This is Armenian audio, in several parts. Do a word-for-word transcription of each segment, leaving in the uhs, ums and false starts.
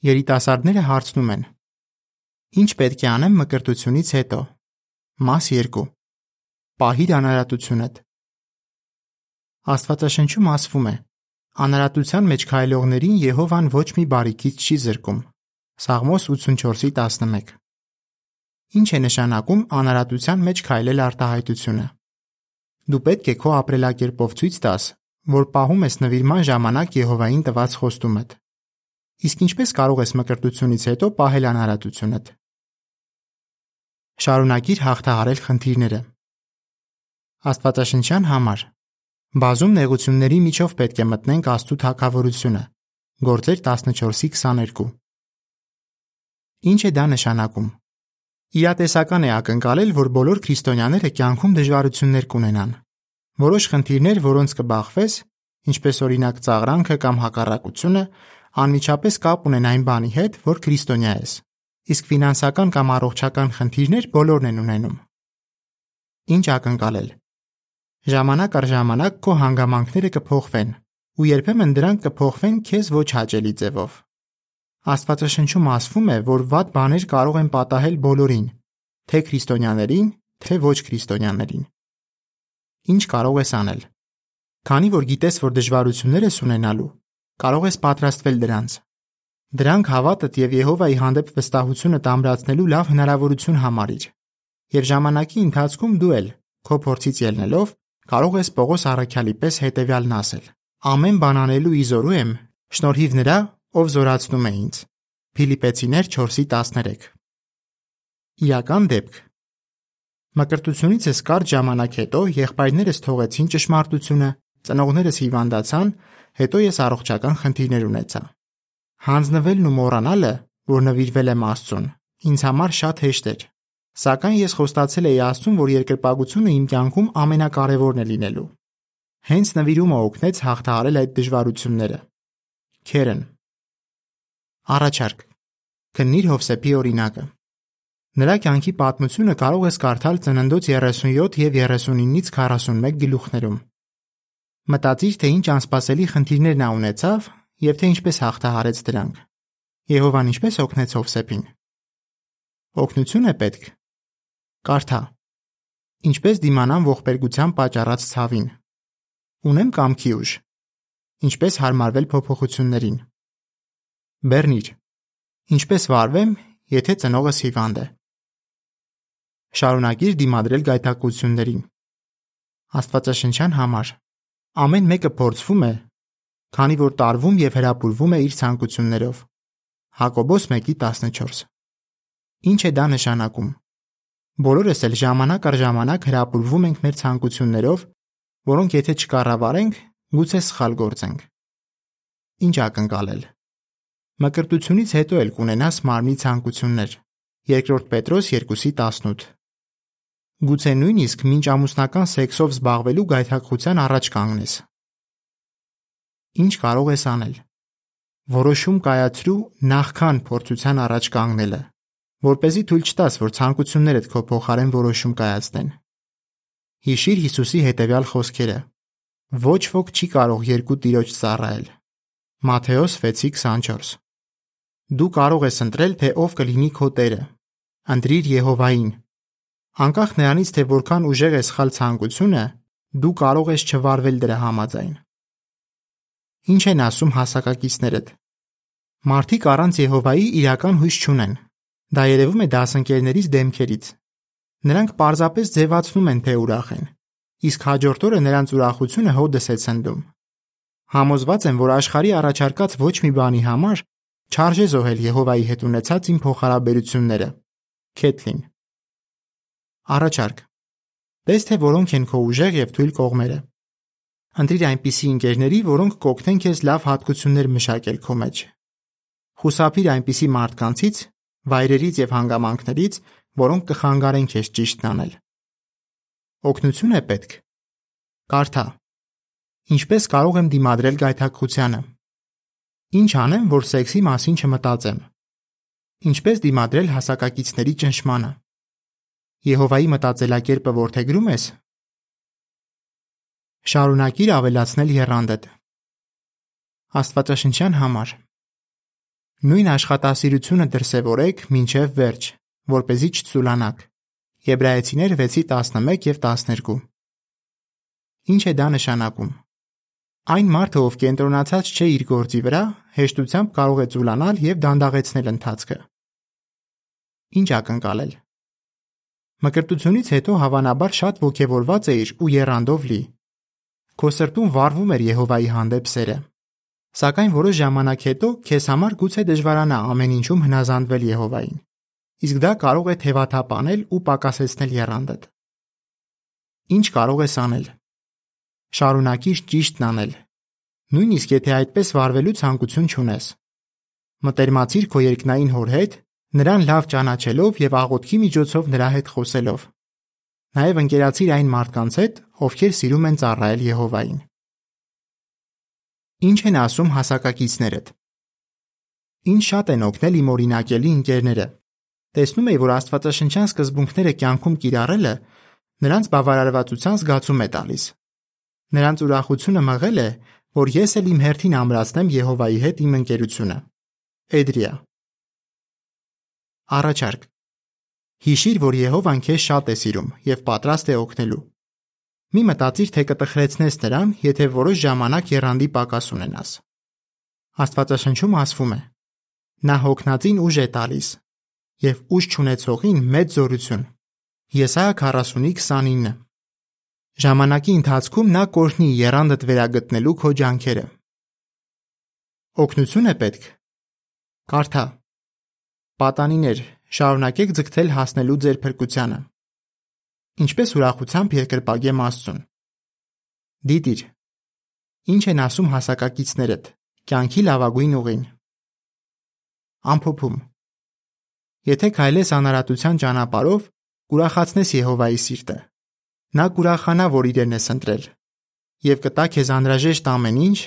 Երիտասարդները հարցնում են. Ինչ պետք է անեմ մկրտությունից հետո։ Մաս երկու. Պահիր անարատությունդ։ Աստվածաշնչում ասվում է. անարատության մեջ քայլողներին Եհովան ոչ մի բարիքից չի զրկում։ Սաղմոս ութսունչորսի տասնմեկ։ Ինչ է նշանակում անարատության մեջ քայլել արտահայտությունը։ Դու պետք է քո ապրելակերպով ցույց տաս, որ պահում ես նվիրման ժամանակ Եհովային տված խոստումդ։ Իսկ ինչպես կարող ես մկրտությունից հետո պահել անարատությունդ։ Շարունակիր հաղթահարել խնդիրները։ Աստվածաշնչյան համար բազում նեղությունների միջով պետք է մտնենք Աստծու թագավորությունը։ Գործեր տասնչորսի քսաներկու։ Ինչ է դա նշանակում։ Իրատեսական է ակնկալել, որ բոլոր քրիստոնյաները կյանքում դժվարություններ կունենան։ Որոշ խնդիրներ, որոնց կբախվես, ինչպես օրինակ ծաղրանքը կամ հակառակությունը, անմիջապես կապ ունեն այն բանի հետ, որ քրիստոնյա ես։ Իսկ ֆինանսական կամ առողջական խնդիրներ բոլորն են ունենում։ Ինչ ակնկալել։ Ժամանակ առ ժամանակ քո հանգամանքները կփոխվեն, ու երբեմն դրանք կփոխվեն քեզ ոչ հաճելի ձևով։ Աստվածաշնչում ասվում է, որ վատ բաներ կարող են պատահել բոլորին, թե քրիստոնյաներին, թե ոչ քրիստոնյաներին։ Ինչ կարող ես անել։ Քանի որ գիտես, որ դժվարություններ ես ունենալու, կարող ես պատրաստվել դրանց։ Դրանք հավատդ եւ Եհովայի հանդեպ վստահությունդ ամրացնելու լավ հնարավորություն համարիր։ Եվ ժամանակի ընթացքում դու էլ, քո փորձից ելնելով, կարող ես Պողոս առաքյալի պես հետևյալն ասել. ամեն բան անելու իզորու եմ, շնորհիվ նրա, ով զորացնում է ինձ։ Փիլիպեցիներ չորսի տասներեք։ Իրական դեպք։ Մկրտությունից ես կարճ ժամանակ հետո եղբայրներս թողեցին ճշմարտությունը, ծնողներս հիվանդացան, հետո ես առողջական խնդիրներ ունեցա։ Հանձնվելն ու մոռանալը, որ նվիրվել եմ Աստծուն, ինձ համար շատ հեշտ էր։ Սակայն ես խոստացել էի Աստծուն, որ երկրպագությունը իմ կյանքում ամենակարևորն է լինելու։ Հենց նվիրումը օգնեց հաղթահարել այդ դժվարությունները։ Քերն։ Առաջարկ։ Քննիր Հովսեփի օրինակը։ Նրա կյանքի պատմությունը կարող ես կարդալ Ծննդոց երեսունյոթ և երեսունինից քառասունմեկ գլուխներում։ Մտածիր, թե ինչ անսպասելի խնդիրներ նա ունեցավ և թե ինչպես հաղթահարեց դրանք։ Եհովան ինչպես օգնեց Հովսեփին։ Օգնություն է պետք։ Կարդա. Ինչպես դիմանամ ողբերգության պատճառած ցավին։ Ունեմ կամքի ուժ։ Ինչպես հարմարվել փոփոխություններին։ Բեռնիր. ինչպես վարվեմ, եթե ծնողս հիվանդ է։ Շարունակիր դիմադրել գայթակղություններին։ Աստվածաշնչյան համար ամեն մեկը փորձվում է, քանի որ տարվում և հրապուրվում է իր ցանկություններով։ Հակոբոս մեկի տասնչորս։ Ինչ է դա նշանակում։ Բոլորս էլ ժամանակ առ ժամանակ հրապուրվում ենք մեր ցանկություններով, որոնք եթե չկառավարենք, գուցե սխալ գործենք։ Ինչ ակնկալել։ Մկրտությունից հետո էլ կունենաս մարմնի ցանկություններ։ Երկրորդ Պետրոս երկուսի տասնութ։ Գուցե նույնիսկ մինչ ամուսնական սեքսով զբաղվելու գայթակղության առաջ կանգնես։ Ինչ կարող ես անել։ Որոշում կայացրու նախքան փորձության առաջ կանգնելը, որպեսզի թույլ չտաս, որ ցանկություններդ քո փոխարեն որոշում կայացնեն։ Հիշիր Հիսուսի հետևյալ խոսքերը. ոչ ոք չի կարող երկու տիրոջ ծառայել։ Մատթեոս վեցի քսանչորս։ Դու կարող ես ընտրել, թե ով կլինի քո Տերը։ Ընտրիր Եհովային։ Անկախ նրանից, թե որքան ուժեղ է սխալ ցանկությունը, դու կարող ես չվարվել դրա համաձայն։ Ինչ են ասում հասակակիցներդ։ Մարդիկ առանց Եհովայի իրական հույս չունեն։ Դա երևում է դասընկերներից դեմքերից։ Նրանք պարզապես ձևացնում են, թե ուրախ են, իսկ հաջորդ օրը նրանց ուրախությունը հօդս է ցնդում։ Համոզված եմ, որ աշխարհի առաջարկած ոչ մի բանի համար չարժե զոհել Եհովայի հետ ունեցած իմ փոխհարաբերությունները։ Քեթլին։ Առաջարկ։ Տես, թե որոնք են քո ուժեղ և թույլ կողմերը։ Ընտրիր այնպիսի ընկերների, որոնք կօգնեն քեզ լավ հատկություններ մշակել քո մեջ։ Խուսափիր այնպիսի մարդկանցից, վայրերից և հանգամանքներից, որոնք կխանգարեն քեզ ճիշտն անել։ Օգնություն է պետք։ Կարդա. ինչպես կարող եմ դիմադրել գայթակղությանը։ Ինչ անեմ, որ սեքսի մասին չմտածեմ։ Ինչպես դիմադրել հասակակիցների ճնշմանը։ Եհովայի մտածելակերպը որդեգրում ես։ Շարունակիր ավելացնել եռանդդ։ Աստվածաշնչյան համար Նույն աշխատասիրությունը դրսևորեք մինչև վերջ, որպեսզի չծուլանաք։ Եբրայեցիներ վեցի տասնմեկ և տասներկու։ Ինչ է դա նշանակում։ Այն մարդը, ով կենտրոնացած չէ իր գործի վրա, հեշտությամբ կարող է ծուլանալ և դանդաղեցնել ընթացքը։ Ինչ ակնկալել։ Մկրտությունից հետո հավանաբար շատ ոգևորված էիր ու եռանդով լի։ Քո սրտում վառվում էր Եհովայի հանդեպ սերը։ Սակայն որոշ ժամանակ հետո քեզ համար գուցե դժվարանա ամեն ինչում հնազանդվել Եհովային, իսկ դա կարող է թևաթափ անել ու պակասեցնել եռանդդ։ Ինչ կարող ես անել։ Շարունակիր ճիշտն անել, նույնիսկ եթե այդպես վարվելու ցանկություն չունես։ Մտերմացիր քո երկնային Հոր հետ, նրան լավ ճանաչելով և աղոթքի միջոցով նրա հետ խոսելով։ Նաև ընկերացիր այն մարդկանց հետ, ովքեր սիրում են ծառայել Եհովային։ Ինչ են ասում հասակակիցներդ։ Ինչ շատ են օգնել իմ օրինակելի ընկերները։ Տեսնում էի, որ աստվածաշնչյան սկզբունքները կյանքում կիրառելը նրանց բավարարվածության զգացում է տալիս։ Նրանց ուրախությունը մղել է, որ ես էլ իմ հերթին ամրացնեմ Եհովայի հետ իմ ընկերությունը։ Էդրիա։ Առաջարկ։ Հիշիր, որ Եհովան քեզ շատ է սիրում և պատրաստ է օգնելու։ Մի մտածիր, թե կտխրեցնես նրան, եթե որոշ ժամանակ եռանդի պակաս ունենաս։ Աստվածաշնչում ասվում է. նա հոգնածին ուժ է տալիս և ուժ չունեցողին մեծ զորություն։ Եսայիա քառասունի քսանինը։ Ժամանակի ընթացքում նա կօրհնի եռանդդ վերագտնելու քո ջանքերը։ Օգնություն է պետք։ Կարդա։ Պատանիներ, շարունակեք ձգտել հասնելու ձեր փրկությանը։ Ինչպես ուրախությամբ երկրպագեմ Աստծուն։ Դիտիր։ Ինչ են ասում հասակակիցներդ, կյանքի լավագույն ուղին։ Ամփոփում։ Եթե քայլես անարատության ճանապարհով, կուրախացնես Եհովայի սիրտը։ Նա կուրախանա, որ իրեն ես ընտրել, և կտա քեզ անհրաժեշտ ամեն ինչ,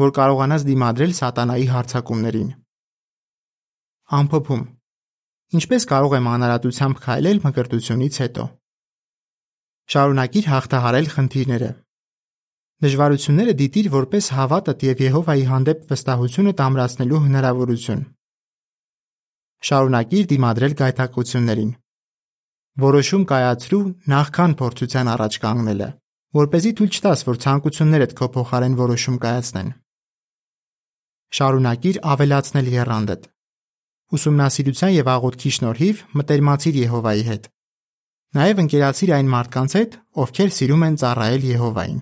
որ կարողանաս դիմադրել սատանայի հարձակումներին։ Ամփոփում։ Ինչպես կարող եմ անարատությամբ քայլել մկրտությունից հետո։ Շարունակիր հաղթահարել խնդիրները։ Դժվարությունները դիտիր որպես հավատդ և Եհովայի հանդեպ վստահությունդ ամրացնելու հնարավորություն։ Շարունակիր դիմադրել գայթակղություններին։ Որոշում կայացրու նախքան փորձության առաջ կանգնելը, որպեսզի թույլ չտաս, որ ցանկություններդ քո փոխարեն որոշում կայացնեն։ Շարունակիր ավելացնել եռանդդ։ Ուսումնասիրության և աղոթքի շնորհիվ մտերմացիր Եհովայի հետ։ Նաև ընկերացիր այն մարդկանց հետ, ովքեր սիրում են ծառայել Եհովային։